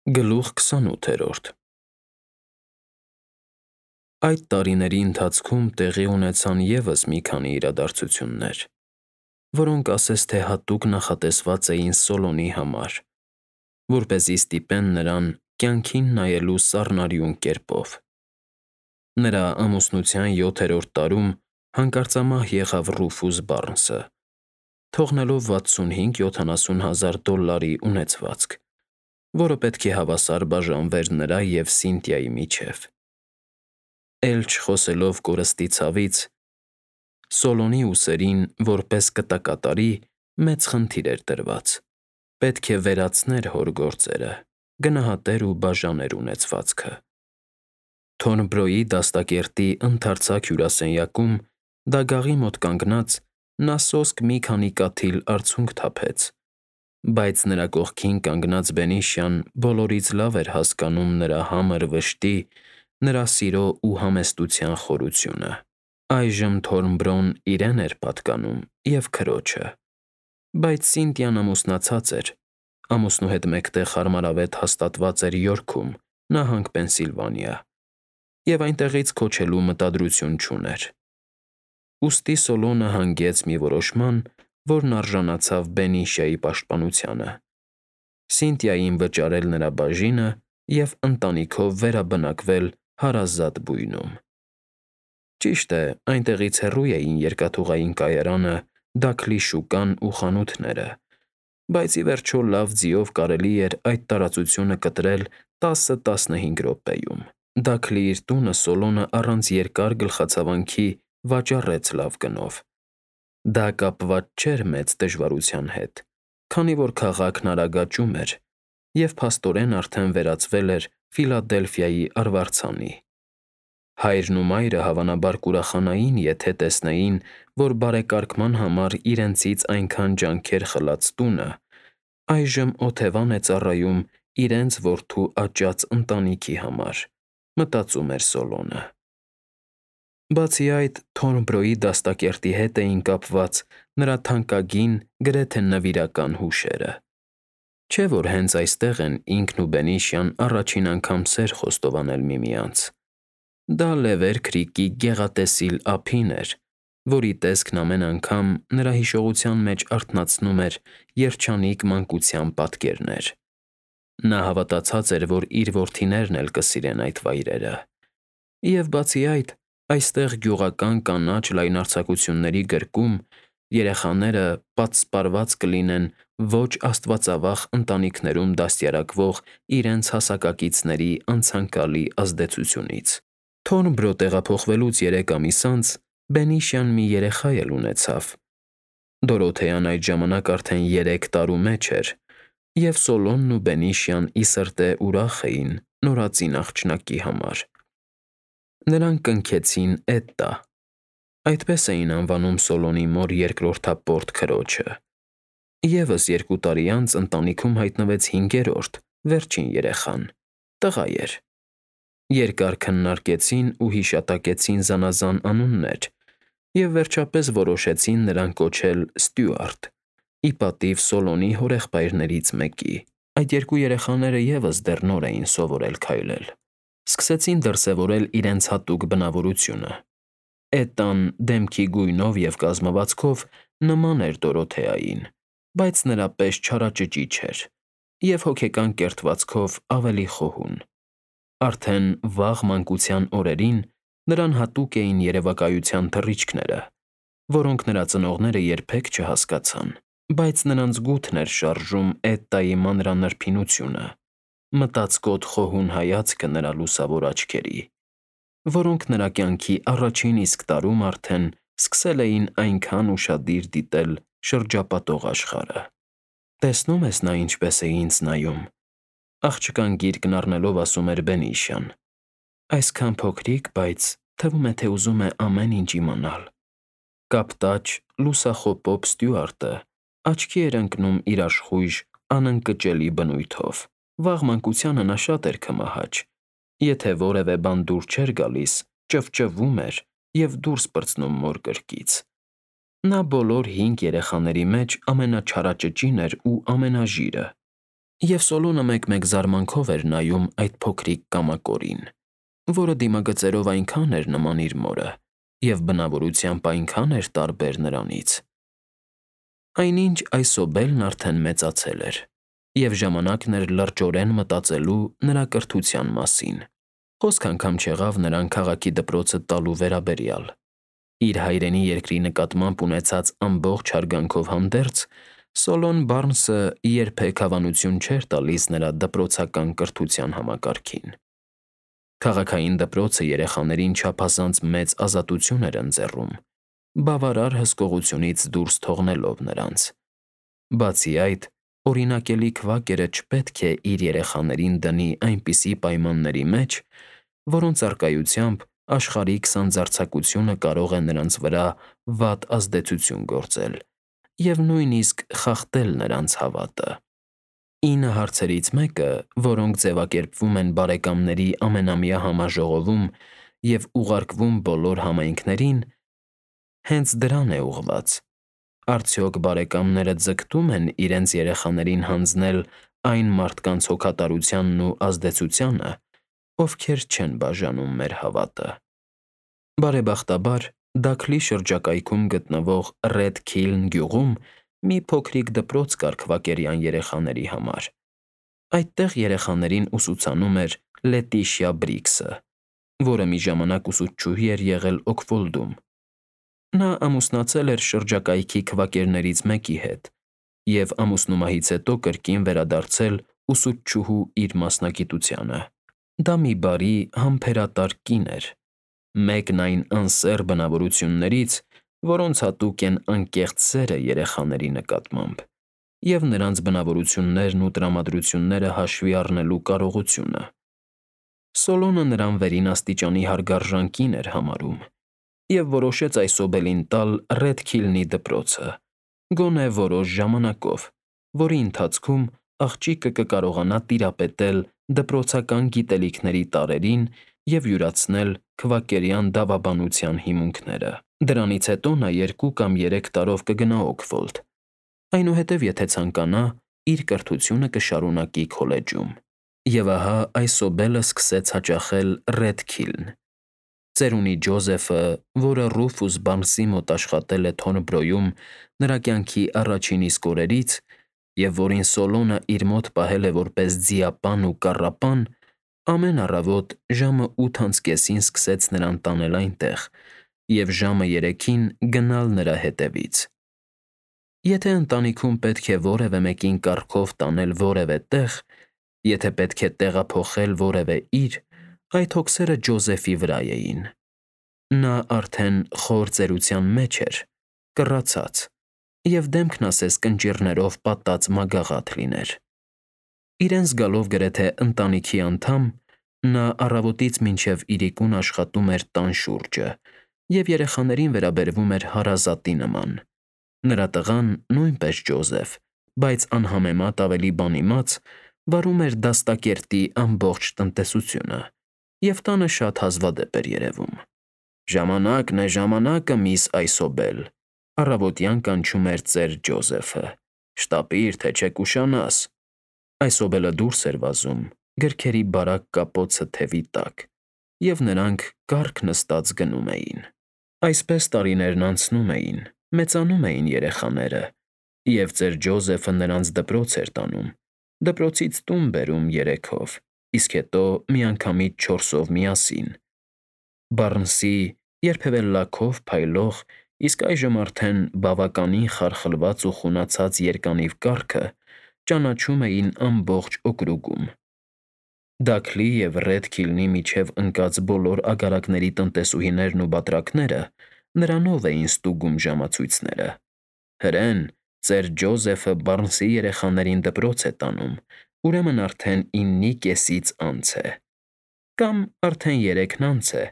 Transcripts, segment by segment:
Գլուխ 28 Այդ տարիների ընթացքում տեղի ունեցան ևս մի քանի իրադարձություններ, որոնք ասես թե հատուկ նախատեսված էին Սոլոնի համար, որպեսզի ստիպեն նրան կյանքին նայելու սառնարյուն կերպով։ Նրա ամուսնության 7-րդ տարում հանկարծամահ եղավ Ռուֆուս Բարնսը, թողնելով $65,000 ունեցվածք, որը պետք է հավասար բաժանվեր նրա և Սինթիայի միջև։ Էլ չխոսելով կորստի ցավից, Սոլոնի ուսերին, որպես կտակատարի, մեծ խնդիր էր տրված. պետք է վերացներ հոր գործերը, գնահատեր ու բաժաներ ունեցվածքը։ Թորնբրոյի դաստակերտի ընդարձակ հյուրասենյակում, դագաղի մոտ կանգնած, նա սոսկ մի քանի կաթիլ արցունք թափեց, բայց նրա կողքին կանգնած Բենիշյան բոլորից լավ էր հասկանում նրա համր վշտի, նրա սիրո ու համեստության խորությունը։ Այժմ Թորնբրոն իրեն էր պատկանում և քրոջը, բայց Սինթիան ամուսնացած էր, ամուսնու հետ մեկտեղ հարմարավետ հաստատված էր Յորքում, նահանգ Պենսիլվանիա, և այնտեղից քոչելու մտադրություն չուներ։ Ուստի Սոլոնը հանգեց մի որոշման, որն արժանացավ Բենիշիայի պաշտպանությանը՝ Սինթիային վճարել նրա բաժինը և ընտանիքով վերաբնակվել հարազատ բույնում։ Ճիշտ է, այնտեղից հեռու էին երկաթուղային կայարանը, Դաքլի շուկան ու խանութները, բայց ի վերջո լավ ձիով կարելի էր այդ տարածությունը կտրել 10-15 րոպեում։ Դաքլի իր տունը Սոլոնը առանց երկար գլխացավանքի վաճառեց լավ գնով։ Դա կապված չէր մեծ դժվարության հետ, քանի որ քաղաքն արագ աճում էր, և փաստորեն արդեն վերածվել էր Ֆիլադելֆիայի արվարձանի։ Հայրն ու մայրը հավանաբար կուրախանային, եթե տեսնեին, որ բարեկարգման համար իրենցից այնքան ջանքեր խլած տունը այժմ օթևան է ծառայում իրենց որդու աճած ընտանիքի համար, մտածում էր Սոլոնը։ Բացի այդ, Թորնբրոյի դաստակերտի հետ էին կապված նրա թանկագին, գրեթե նվիրական հուշերը։ Չէ՞ որ հենց այստեղ են ինքն ու Բենիշյան առաջին անգամ սեր խոստովանել միմյանց։ Դա Լևեր Քրիկի գեղատեսիլ ափին էր, որի տեսքն ամեն անգամ նրա հիշողության մեջ արթնացնում էր երջանիկ մանկության պատկերներ։ Նա հավատացած էր, որ իր որդիներն էլ կսիրեն այդ վայրերը։ Եվ բացի այդ, այստեղ գյուղական կանաչ լայնարձակությունների գրկում երեխաները պատսպարված կլինեն ոչ աստվածավախ ընտանիքներում դաստիարակվող իրենց հասակակիցների անցանկալի ազդեցությունից։ Թորնբրո տեղափոխվելուց 3 ամիս անց Բենիշյան մի երեխա էլ ունեցավ։ Դորոթեան այդ ժամանակ արդեն 3 տարու մեջ էր, և Սոլոնն ու Բենիշյան ի սրտե ուրախ էին նորածին աղջնակի համար։ Նրանք կնքեցին Էտտա, այդպես էին անվանում Սոլոնի մոր երկրորդապորտ քրոջը։ Եվս 2 տարի անց ընտանիքում հայտնվեց 5-րդ, վերջին երեխան՝ տղա էր։ Երկար քննարկեցին ու հիշատակեցին զանազան անուններ և վերջապես որոշեցին նրան կոչել Ստյուարտ՝ ի պատիվ Սոլոնի հորեղբայրներից մեկի։ Այդ 2 երեխաները ևս դեռ նոր էին սովորել քայլել։ Սկսեցին դրսևորել իրենց հատուկ բնավորությունը։ Էտտան դեմքի գույնով և կազմվածքով նման էր Դորոթեային, բայց նրա պես չարաճճի չէր, և հոգեկան կերտվածքով ավելի խոհուն։ Արդեն վաղ մանկության օրերին նրան հատուկ էին երևակայության թռիչքները, որոնք նրա ծնողները երբեք չհասկացան, բայց նրանց գութն էր շարժում Էտտայի մանրանրբինությունը, մտածկոտ խոհուն հայացքը նրա լուսավոր աչքերի, որոնք նրա կյանքի առաջին իսկ տարում արդեն սկսել էին այնքան ուշադիր դիտել շրջապատող աշխարհը։ «Տեսնում ես նա ինչպես է ինձ նայում», աղջկան գիրկն առնելով ասում էր Բենիշյան։ «Այսքան փոքրիկ, բայց թվում է, թե ուզում է ամեն ինչ իմանալ»։ Կապտաճ, լուսախոպոպ Ստյուարտը աչքի էր ընկնում իր աշխույժ, անընկճելի բնույթով։ Վաղ մանկությանը նա շատ էր քմահաճ։ Եթե որևէ բան դուր չէր գալիս, ճվճվում էր և դուրս պրծնում մոր կրկից։ Նա բոլոր 5 երեխաների մեջ ամենաչարաճճին էր ու ամենաժիրը։ Եվ Սոլոնը մեկ-մեկ զարմանքով էր նայում այդ փոքրիկ կամակորին, որը դիմագծերով այնքան էր նման իր մորը և բնավորությամբ այնքան էր տարբեր նրանից։ Այնինչ Այսոբելն արդեն մեծացել էր, և ժամանակն էր լրջորեն մտածելու նրա կրթության մասին։ Խոսք անգամ չեղավ նրան քաղաքի դպրոցը տալու վերաբերյալ։ Իր հայրենի երկրի նկատմամբ ունեցած ամբողջ հարգանքով հանդերձ, Սոլոն Բարնսը երբեք հավանություն չէր տալիս նրա դպրոցական կրթության համակարգին։ Քաղաքային դպրոցը երեխաներին չափազանց մեծ ազատություն էր ընձեռում, բավարար հսկողությունից դուրս թողնելով նրանց։ Բացի այդ, օրինակելի քվակերը չպետք է իր երեխաներին դնի այնպիսի պայմանների մեջ, որոնց առկայությամբ աշխարհիկ սանձարձակությունը կարող է նրանց վրա վատ ազդեցություն գործել և նույնիսկ խախտել նրանց հավատը։ 9 հարցերից մեկը, որոնք ձևակերպվում են բարեկամների ամենամյա համաժողովում և ուղարկվում բոլոր համայնքներին, հենց դրան է ուղղված. արդյոք բարեկամները ձգտում են իրենց երեխաներին հանձնել այն մարդկանց հոգատարությանն ու ազդեցությանը, ովքեր չեն բաժանում մեր հավատը։ Բարեբախտաբար, Դաքլի շրջակայքում գտնվող Ռեդ Քիլն գյուղում մի փոքրիկ դպրոց կար քվակերյան երեխաների համար։ Այդտեղ երեխաներին ուսուցանում էր Լետիշիա Բրիքսը, որը մի ժամանակ ուսուցչուհի էր եղել Օքվոլդում։ Նա ամուսնացել էր շրջակայքի քվակերներից մեկի հետ և ամուսնումահից հետո կրկին վերադարձել ուսուցչուհու իր մասնագիտությանը։ Դա մի բարի, համբերատար կին էր, մեկն այն անսեռ բնավորություններից, որոնց հատուկ են անկեղծ սերը երեխաների նկատմամբ, և նրանց բնավորություններն ու տրամադրությունները հաշվի առնելու կարողությունը։ Սոլոնը նրան վերին աստիճանի հարգարժան կին էր համարում և որոշեց Այսոբելին տալ Ռեդ Քիլնի դպրոցը, գոնե որոշ ժամանակով, որի ընթացքում աղջիկը կկարողանա տիրապետել դպրոցական գիտելիքների տարրերին և յուրացնել քվակերյան դավաբանության հիմունքները։ Դրանից հետո նա 2 կամ 3 տարով կգնա Օքվոլդ, այնուհետև եթե ցանկանա, իր կրթությունը կշարունակի քոլեջում։ Եվ ահա Այսոբելը սկսեց հաճախել Ռեդ Քիլն։ Ծերունի Ջոզեֆը, որը Ռուֆուս Բարնսի մոտ աշխատել է Թորնբրոյում նրա կյանքի առաջին իսկ օրերից, և որին Սոլոնը իր մոտ պահել է որպես ձիապան ու կառապան, ամեն առավոտ ժամը 8:30-ին սկսեց նրան տանել այնտեղ և ժամը 3-ին գնալ նրա հետևից։ Եթե ընտանիքում պետք է որևէ մեկին կառքով տանել որևէ տեղ, եթե պետք է տեղափոխել որևէ իր, այդ հոգսերը Ջոզեֆի վրա էին։ Նա արդեն խոր ծերության մեջ էր, կռացած, և դեմքն ասես կնճիռներով պատած մագաղաթ լիներ։ Իրեն զգալով գրեթե ընտանիքի անդամ, նա առավոտից մինչև իրիկուն աշխատում էր տան շուրջը և երեխաներին վերաբերվում էր հարազատի նման։ Նրա տղան, նույնպես Ջոզեֆ, բայց անհամեմատ ավելի բան իմաց, վարում էր դաստակերտի ամբողջ տնտեսությունը և տանը շատ հազվադեպ էր երևում։ «Ժամանակն է, ժամանակը, միս Այսոբել», առավոտյան կանչում էր ծեր Ջոզեֆը։ «Շտապիր, թե չէ կուշանաս»։ Այսոբելը դուրս էր վազում, գրքերի բարակ կապոցը թևի տակ, և նրանք կառք նստած գնում էին։ Այսպես տարիներն անցնում էին, մեծանում էին երեխաները, և ծեր Ջոզեֆը նրանց դպրոց էր տանում, դպրոցից տուն բերում 3-ով, իսկ հետո միանգամից 4-ով միասին։ Բարնսի, երբևէ լաքով փայլող, իսկ այժմ արդեն բավականին խարխլված ու խունացած երկանիվ կառքը ճանաչում էին ամբողջ օկրուգում։ Դաքլի և Ռեդ Քիլնի միջև ընկած բոլոր აგարակների տնտեսուհիներն ու բատրակները նրանով էին ստուգում ժամացույցները։ Հրեն ծեր Ջոզեֆը Բարնսի երեխաներին դպրոց է տանում, ուրեմն արդեն 9:30-ից անց է։ Կամ արդեն 3-ն անց է,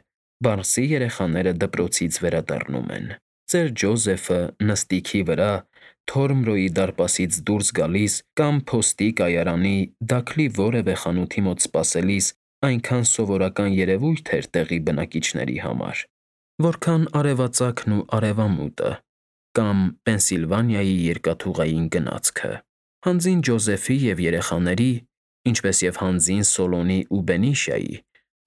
Բարնսի երեխաները դպրոցից վերադառնում են։ Ծեր Ջոզեֆը նստիքի վրա, Թորնբրոյի դարպասից դուրս գալիս կամ փոստի կայարանի Դաքլի որևէ խանութի մոտ սպասելիս այնքան սովորական երևույթ էր տեղի բնակիչների համար, որքան արևածագն ու արևամուտը կամ Պենսիլվանիայի երկաթուղային գնացքը։ Հանձին Ջոզեֆի և երեխաների, ինչպես և հանձին Սոլոնի ու Բենիշիայի,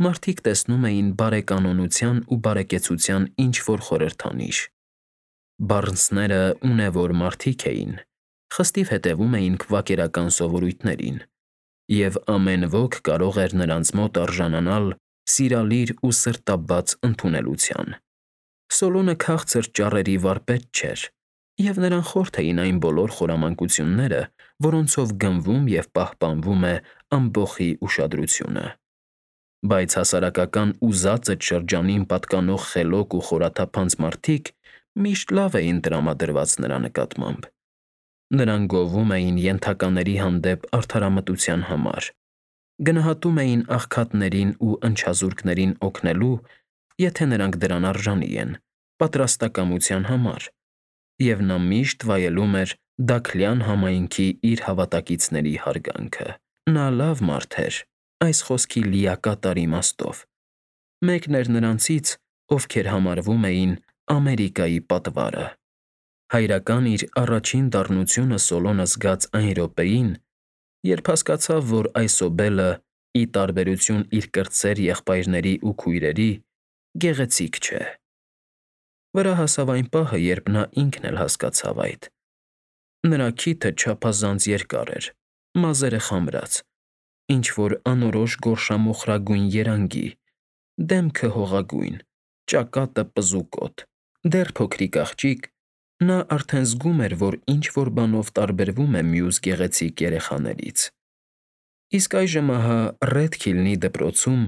մարդիկ տեսնում էին բարեկանոնության ու բարեկեցության ինչ-որ խորհրդանիշ։ Բառնցները ունևոր մարդիկ էին, խստիվ հետևում էին քվակերական սովորույթներին, և ամեն ոք կարող էր նրանց մոտ արժանանալ սիրալիր ու սրտաբաց ընդունելության։ Սոլոնը քաղցր ճառերի վարպետ չէր, և նրան խորթ էին այն բոլոր խորամանկությունները, որոնցով գնվում և պահպանվում է ամբոխի ուշադրությունը։ Բայց հասարակական ու զածդ շրջանին պատկանող խելոք ու խորաթափանց մարդիկ միշտ լավ էին տրամադրված նրա նկատմամբ։ Նրանք գովում էին ենթակաների հանդեպ արդարամտության համար, գնահատում էին աղքատներին ու ընչազուրկներին օգնելու, եթե նրանք դրան արժանի են, պատրաստակամության համար, և նա միշտ վայելում էր Դաքլյան համայնքի իր հավատակիցների հարգանքը։ Նա լավ մարդ էր, այս խոսքի լիակատար իմաստով։ Մեկն էր նրանցից, ովքեր համարվում էին Ամերիկայի պատվարը։ Հայրական իր առաջին դառնությունը Սոլոնը զգաց այն րոպեին, երբ հասկացավ, որ այսօբելը, ի տարբերություն իր կրտսեր եղբայրների ու քույրերի, գեղեցիկ չէ։ Վրա հասավ այն պահը, երբ նա ինքն էլ հասկացավ այդ։ Նրա քիթը չափազանց երկար էր, մազերը խամրած, ինչ֊որ անորոշ գորշամոխրագույն երանգի, դեմքը հողագույն, ճակատը պզուկոտ, դեռ փոքրիկ աղջիկ, նա արդեն զգում էր, որ ինչ֊որ բանով տարբերվում է մյուս գեղեցիկ երեխաներից։ Իսկ այժմ ահա Ռեդքիլնի դպրոցում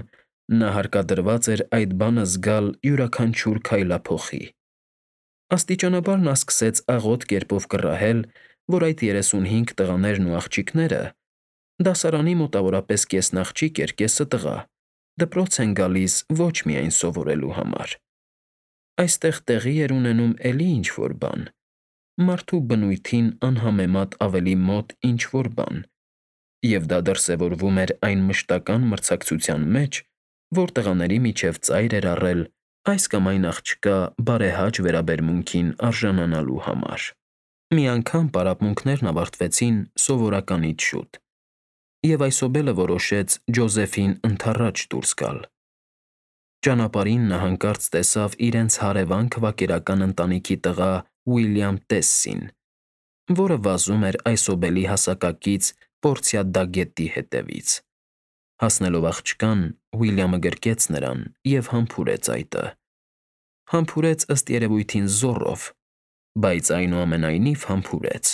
նա հարկադրված էր այդ բանը զգալ յուրաքանչյուր քայլափոխի։ Աստիճանաբար նա սկսեց աղոտ կերպով կռահել, որ այդ 35 տղաներն ու աղջիկները (դասարանի մոտավորապես կեսն աղջիկ էր, կեսը տղա) դպրոց են գալիս ոչ միայն սովորելու համար։ Այստեղ տեղի էր ունենում էլի ինչ֊որ բան, մարդու բնույթին անհամեմատ ավելի մոտ ինչ֊որ բան, և դա դրսևորվում էր այն մշտական մրցակցության մեջ, որ տղաների միջև ծայր էր առել այս կամ այն աղջկա բարեհաճ վերաբերմունքին արժանանալու համար։ Մի անգամ պարապմունքներն ավարտվեցին սովորականից շուտ, և այսօբելը որոշեց Ջոզեֆին ընդառաջ դուրս գալ։ Ճանապարհին նա հանկարծ տեսավ իրենց հարևան քվակերական ընտանիքի տղա Ուիլյամ Տեսսին, որը վազում էր այսօբելի հասակակից Պորցիադագետի հետևից։ Հասնելով աղջկան, Ուիլյամը գրկեց նրան և համբուրեց այտը։ Համբուրեց ըստ երևույթին զոռով, բայց այնուամենայնիվ համբուրեց։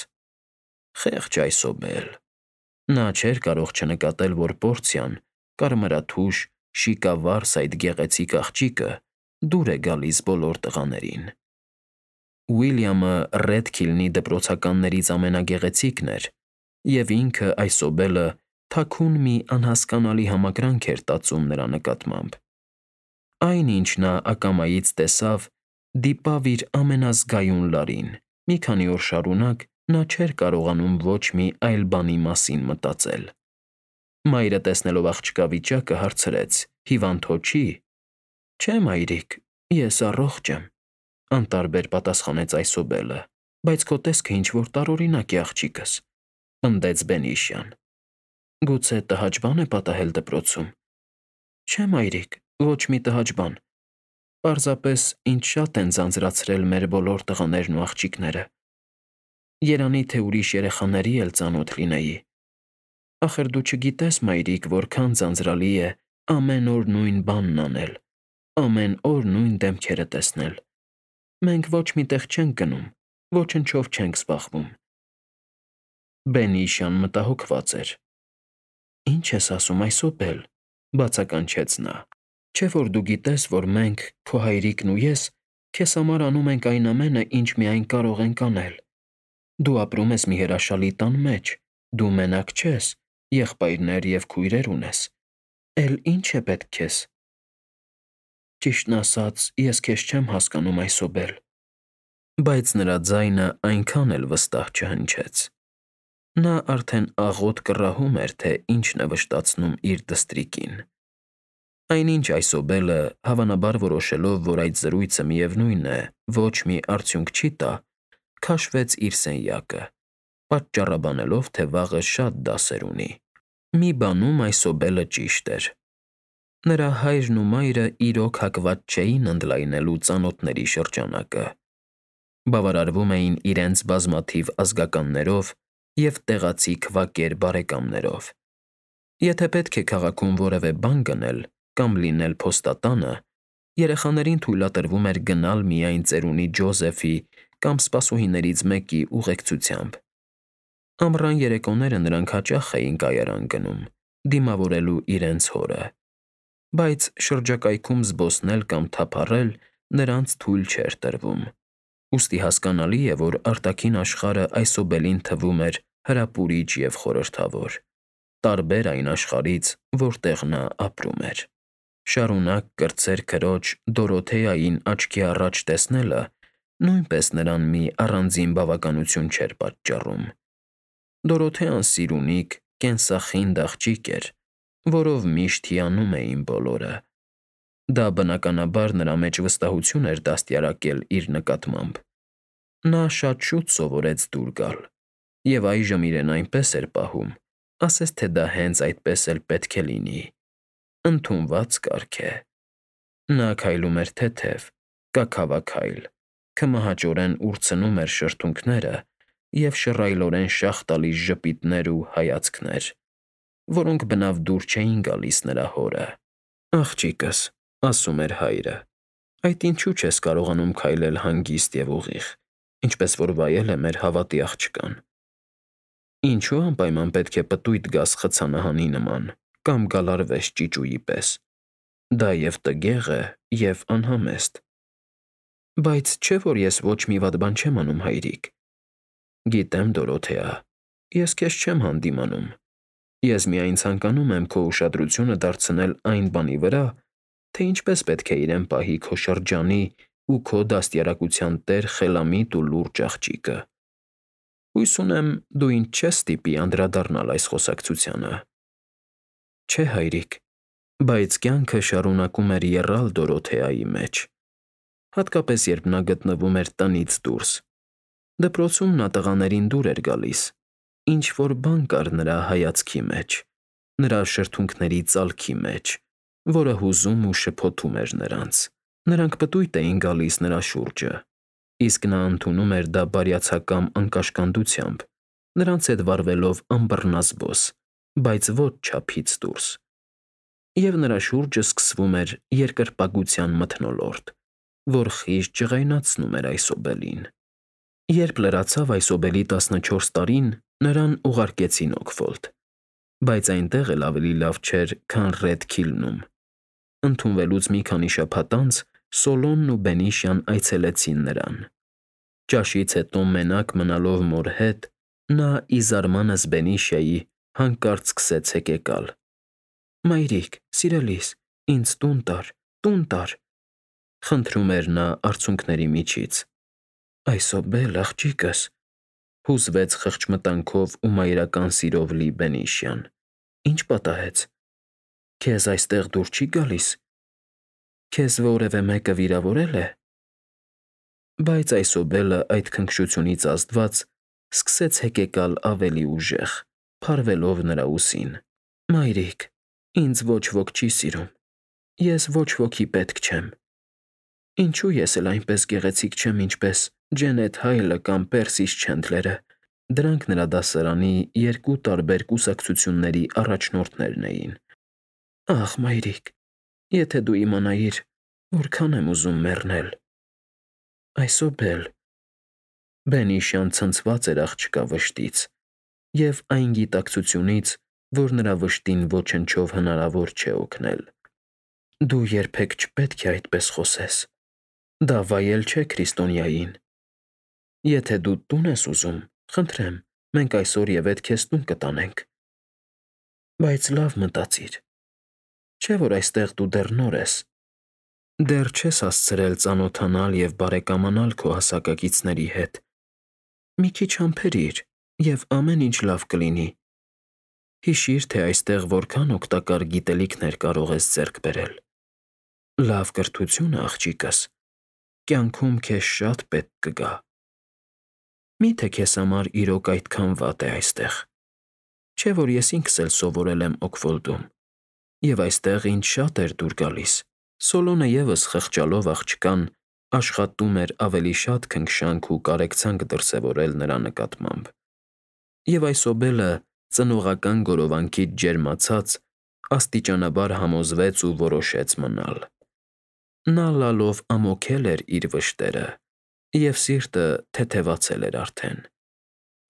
Խեղճ այսօբել։ Նա չէր կարող չնկատել, որ Պորցիան, կարմրաթուշ, շիկավարս այդ գեղեցիկ աղջիկը դուր է գալիս բոլոր տղաներին։ Ուիլյամը Ռեդքիլնի դպրոցականներից ամենագեղեցիկն էր, և ինքը այսօբելը թաքուն մի անհասկանալի համակրանք էր տածում նրա նկատմամբ։ Այն, ինչ նա ակամայից տեսավ, դիպավ իր ամենազգայուն լարին։ Մի քանի օր շարունակ նա չէր կարողանում ոչ մի այլ բանի մասին մտածել։ Մայրը, տեսնելով աղջկա վիճակը, հարցրեց. «Հիվանդ հո չի»։ «Չէ, մայրիկ, ես առողջ եմ», անտարբեր պատասխանեց այսօբելը։ «Բայց քո տեսքը ինչ֊որ տարօրինակ է, աղջիկս», պնդեց Բենիշյան։ «Գուցե տհաճ բան է պատահել դպրոցում»։ «Չէ, մայրիկ, ոչ մի տհաճ բան։ Պարզապես ինձ շատ են ձանձրացրել մեր բոլոր տղաներն ու աղջիկները։ Երանի թե ուրիշ երեխաների էլ ծանոթ լինեի։ Ախր դու չգիտես, մայրիկ, որքան ձանձրալի է ամեն օր նույն բանն անել, ամեն օր նույն դեմքերը տեսնել։ Մենք ոչ մի տեղ չենք գնում, ոչնչով չենք զբաղվում»։ Բենիշյան մտահոգված էր։ «Ինչ ես ասում այսօբել», բացականչեց նա։ «Չէ՞ որ դու գիտես, որ մենք, քո հայրիկն ու ես, քեզ համար անում ենք այն ամենը, ինչ միայն կարող ենք անել։ Դու ապրում ես մի հրաշալի տան մեջ, դու մենակ չես, եղբայրներ և քույրեր ունես։ Էլ ի՞նչ է պետք քեզ»։ «Ճիշտն ասած, ես քեզ չեմ հասկանում այսօբել»։ Բայց նրա ձայնը այնքան էլ վստահ չհնչեց։ Նա արդեն աղոտ կռահում էր, թե ինչն է վշտացնում իր դստրիկին։ Այնինչ այսօբելը, հավանաբար որոշելով, որ այդ զրույցը միևնույն է, ոչ մի արդյունք չի տա, քաշվեց իր սենյակը, պատճառաբանելով, թե վաղը շատ դասեր ունի։ Մի բանում այսօբելը ճիշտ էր. նրա հայրն ու մայրը իրոք հակված չէին ընդլայնելու ծանոթների շրջանակը։ Բավարարվում էին իրենց բազմաթիվ ազգականներով և տեղացի քվակեր բարեկամներով։ Եթե պետք է քաղաքում որևէ բան գնել կամ լինել փոստատանը, երեխաներին թույլատրվում էր գնալ միայն ծերունի Ջոզեֆի կամ սպասուհիներից մեկի ուղեկցությամբ։ Ամռան երեկոները նրանք հաճախ էին կայարան գնում, դիմավորելու իրենց հորը, բայց շրջակայքում զբոսնել կամ թափառել նրանց թույլ չէր տրվում։ Ուստի հասկանալի է, որ արտաքին աշխարհը այսօբելին թվում էր հրապուրիչ և խորհրդավոր, տարբեր այն աշխարհից, որտեղ նա ապրում էր։ Շարունակ կրտսեր քրոջ Դորոթեային աչքի առաջ տեսնելը նույնպես նրան մի առանձին բավականություն չէր պատճառում։ Դորոթեան սիրունիկ, կենսախինդ աղջիկ էր, որով միշտ հիանում էին բոլորը։ Դա բնականաբար նրա մեջ վստահություն էր դաստիարակել իր նկատմամբ։ Նա շատ շուտ սովորեց դուր գալ, և այժմ իրեն այնպես էր պահում, ասես թե դա հենց այդպես էլ պետք է լինի։ Ընդունված կարգ է։ Նա քայլում էր թեթև, կաքավաքայլ, քմահաճորեն ուրցնում էր շրթունքները և շռայլորեն շաղ տալիս ժպիտներ ու հայացքներ, որոնք բնավ դուր չէին գալիս նրա հորը։ «Աղջիկս», ասում էր հայրը, «այդ ինչու չես կարողանում քայլել հանգիստ և ուղիղ, ինչպես որ վայել է մեր հավատի աղջկան։ Ինչու անպայման պետք է պտույտ գաս խցանահանի նման կամ գալարվես ճիճուի պես։ Դա և տգեղ է, և անհամեստ»։ «Բայց չէ՞ որ ես ոչ մի վատ բան չեմ անում, հայրիկ»։ «Գիտեմ, Դորոթեա, ես քեզ չեմ հանդիմանում։ Ես միայն ցանկանում եմ քո ուշադրությունը դարձնել այն բանի վրա, թե ինչպես պետք է իրեն պահի քո շրջանի ու քո դաստիարակության տեր խելամիտ ու լուրջ աղջիկը։ Հույս ունեմ, դու ինձ չես ստիպի անդրադառնալ այս խոսակցությանը»։ «Չէ, հայրիկ», բայց կյանքը շարունակում էր եռալ Դորոթեայի մեջ, հատկապես երբ նա գտնվում էր տնից դուրս։ Դպրոցում նա տղաներին դուր էր գալիս։ Ինչ-որ բան կար նրա հայացքի մեջ, նրա շրթունքների ծալքի մեջ, որը հուզում ու շփոթում էր նրանց։ Նրանք պտույտ էին գալիս նրա շուրջը, իսկ նա ընդունում էր դա բարյացակամ անկաշկանդությամբ, նրանց հետ վարվելով անբռնազբոս, բայց ոչ չափից դուրս։ Եվ նրա շուրջը սկսվում էր երկրպագության մթնոլորտ, որ խիստ ջղայնացնում էր այսօբելին։ Երբ լրացավ այսօբելի 14 տարին, նրան ուղարկեցին Օքֆոլդ, բայց այնտեղ էլ ավելի լավ չէր, քան Ռեդ Քիլնում։ Ընդունվելուց մի քանի շաբաթ անց Սոլոմն ու Բենիշյան այցելեցին նրան։ Ճաշից հետո մենակ մնալով մոր հետ՝ նա ի զարմանս Բենիշյայի հանկարծ սկսեց հեկեկալ. «Մայրիկ, սիրելիս, ինձ տուն տար», խնդրում էր նա արցունքների միջից։ «Այսօբել, աղջիկս», հուզվեց խղճմտանքով ու մայրական սիրով լի Բենիշյան, «ինչ պատահեց։ Քեզ այստեղ դուր չի գալիս։ Քեզ որևէ մեկը վիրավորել է»։ Բայց այսօբելը այդ քնքշությունից ազդված սկսեց հեկեկալ ավելի ուժեղ, փարվելով նրա ուսին։ «Մայրիկ, ինձ ոչ ոք չի սիրում։ Ես ոչ ոքի պետք չեմ։ Ինչու ես էլ այնպես գեղեցիկ չեմ, ինչպես Ջենեթ Հայլը կամ Պերսիս Չենդլերը։ Դրանք նրա դասարանի երկու տարբեր կուսակցությունների առաջնորդներն էին։ Ախ, մայրիկ, եթե դու իմանայիր, որքան եմ ուզում մեռնել»։ Այսօբել։ Բենիշյան ցնցված էր աղջկա վշտից և այն գիտակցությունից, որ նրա վշտին ոչնչով հնարավոր չէ օգնել։ «Դու երբեք չպետք է այդպես խոսես։ Դա վայել չէ քրիստոնյային։ Եթե դու տուն ես ուզում, խնդրեմ, մենք այսօր ետ քեզ տուն կտանենք։ Բայց լավ մտածիր։ Չէ՞ որ այստեղ դու դեռ նոր ես։ Դեռ չես հասցրել ծանոթանալ և բարեկամանալ քո հասակակիցների հետ։ Մի քիչ համբերիր, և ամեն ինչ լավ կլինի։ Հիշիր, թե այստեղ որքան օգտակար գիտելիքներ կարող ես ձեռք բերել։ Լավ կրթությունը, աղջիկս, կյանքում քեզ շատ պետք կգա։ Մի՞թե քեզ համար իրոք այդքան վատ է այստեղ։ Չէ՞ որ ես ինքս էլ սովորել եմ Օքվոլդում, և այստեղ ինձ շատ էր դուր գալիս։ Սոլոնը ևս խղճալով աղջկան աշխատում էր ավելի շատ քնքշանք ու կարեկցանք դրսևորել նրա նկատմամբ։ Եվ այս ոբելը ծնողական գորովանքից ջերմացած աստիճանաբար համոզվեց ու որոշեց մնալ։ Նա լալով ամոքել էր իր վշտերը, և սիրտը թեթևացել էր արդեն։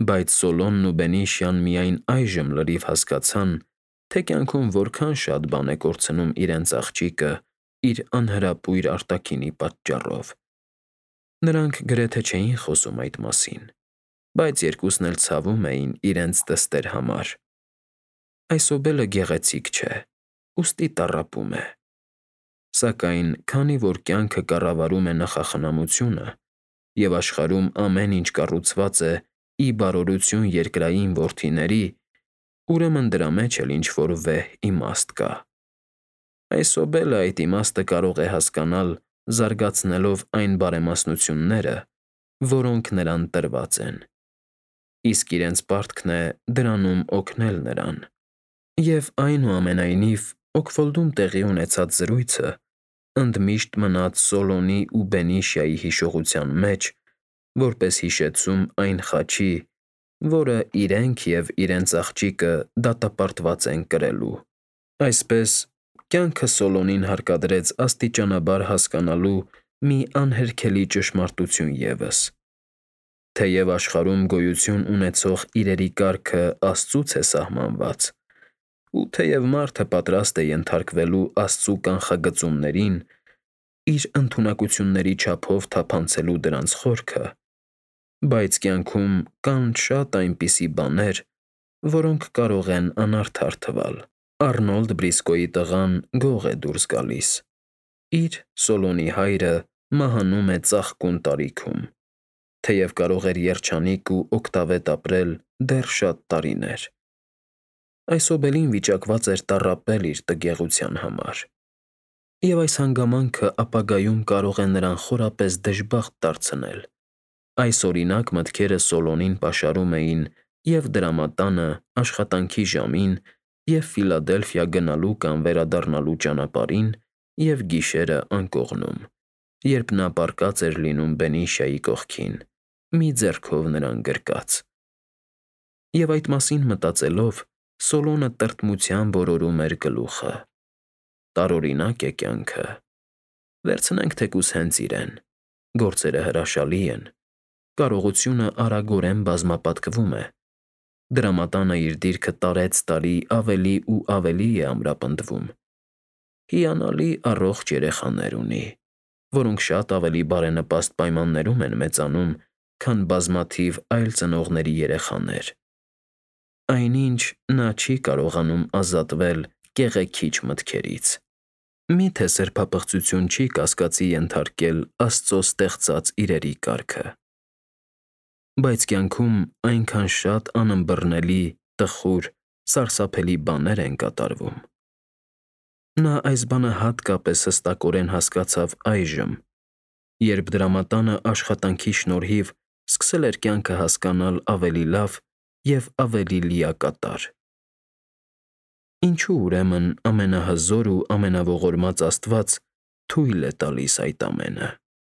Բայց Սոլոնն ու Բենիշյան միայն այժմ լրիվ հասկացան, թե կյանքում որքան շատ բան է կորցնում իրենց աղջիկը իր անհրապույր արտաքինի պատճառով։ Նրանք գրեթե չէին խոսում այդ մասին, բայց երկուսն էլ ցավում էին իրենց դստեր համար։ Այս ոբելը գեղեցիկ չէ, ուստի տառապում է։ Սակայն քանի որ կյանքը կառավարում է նախախնամությունը, և աշխարհում ամեն ինչ կառուցված է ի բարօրություն երկրային որդիների, ուրեմն դրա մեջ էլ ինչ-որ վեհ իմաստ կա։ Այս ոբելը այդ իմաստը կարող է հասկանալ զարգացնելով այն բարեմասնությունները, որոնք նրան տրված են, իսկ իրենց պարտքն է դրանում օգնել նրան։ Եվ այնուամենայնիվ Օքվոլդում տեղի ունեցած զրույցը ընդմիշտ մնաց Սոլոնի ու Բենիշյայի հիշողության մեջ, որպես հիշեցում այն խաչի, որը իրենք և իրենց աղջիկը դատապարտված են կրելու։ Այսպես, կյանքը Սոլոնին հարկադրեց աստիճանաբար հասկանալու մի անհերքելի ճշմարտություն ևս. թեև աշխարհում գոյություն ունեցող իրերի կարգը Աստծուց է սահմանված, ու թեև մարդը պատրաստ է ենթարկվելու Աստծու կանխագծումներին, իր ընդունակությունների չափով թափանցելու դրանց խորքը, բայց կյանքում կան շատ այնպիսի բաներ, որոնք կարող են անարդար թվալ։ Արնոլդ Բրիսկոյի տղան գող է դուրս գալիս։ Իր՝ Սոլոնի հայրը մահանում է ծաղկուն տարիքում, թեև կարող էր երջանիկ ու օգտավետ ապրել դեռ շատ տարիներ։ Այս ոբելին վիճակված էր տառապել իր տգեղության համար։ Եվ այս հանգամանքը ապագայում կարող է նրան խորապես դժբախտ դարձնել։ Այս օրինակ մտքերը Սոլոնին պաշարում էին և դրամատանը աշխատանքի ժամին, և Ֆիլադելֆիա գնալու կամ վերադառնալու ճանապարհին, և գիշերը անկողնում, երբ նա պառկած էր լինում Բենիշյայի կողքին, մի ձեռքով նրան գրկած։ Եվ այդ մասին մտածելով, Սոլոնը տրտմությամբ օրորում էր գլուխը։ Տարօրինակ է կյանքը։ Վերցնենք թեկուզ հենց իրեն. գործերը հրաշալի են, կարողությունը արագորեն բազմապատկվում է, դրամատանը իր դիրքը տարեցտարի ավելի ու ավելի է ամրապնդվում, հիանալի առողջ երեխաներ ունի, որոնք շատ ավելի բարենպաստ պայմաններում են մեծանում, քան բազմաթիվ այլ ծնողների երեխաներ։ Այնինչ նա չի կարողանում ազատվել կեղեքիչ մտքերից։ Մի՞թե սրբապղծություն չի կասկածի ենթարկել Աստծո ստեղծած իրերի կարգը։ Բայց կյանքում այնքան շատ անըմբռնելի, տխուր, սարսափելի բաներ են կատարվում։ Նա այս բանը հատկապես հստակորեն հասկացավ այժմ, երբ դրամատանը աշխատանքի շնորհիվ սկսել էր կյանքը հասկանալ ավելի լավ և ավելի լիակատար։ Ինչու ուրեմն ամենահզոր ու ամենաողորմած Աստված թույլ է տալիս այդ ամենը։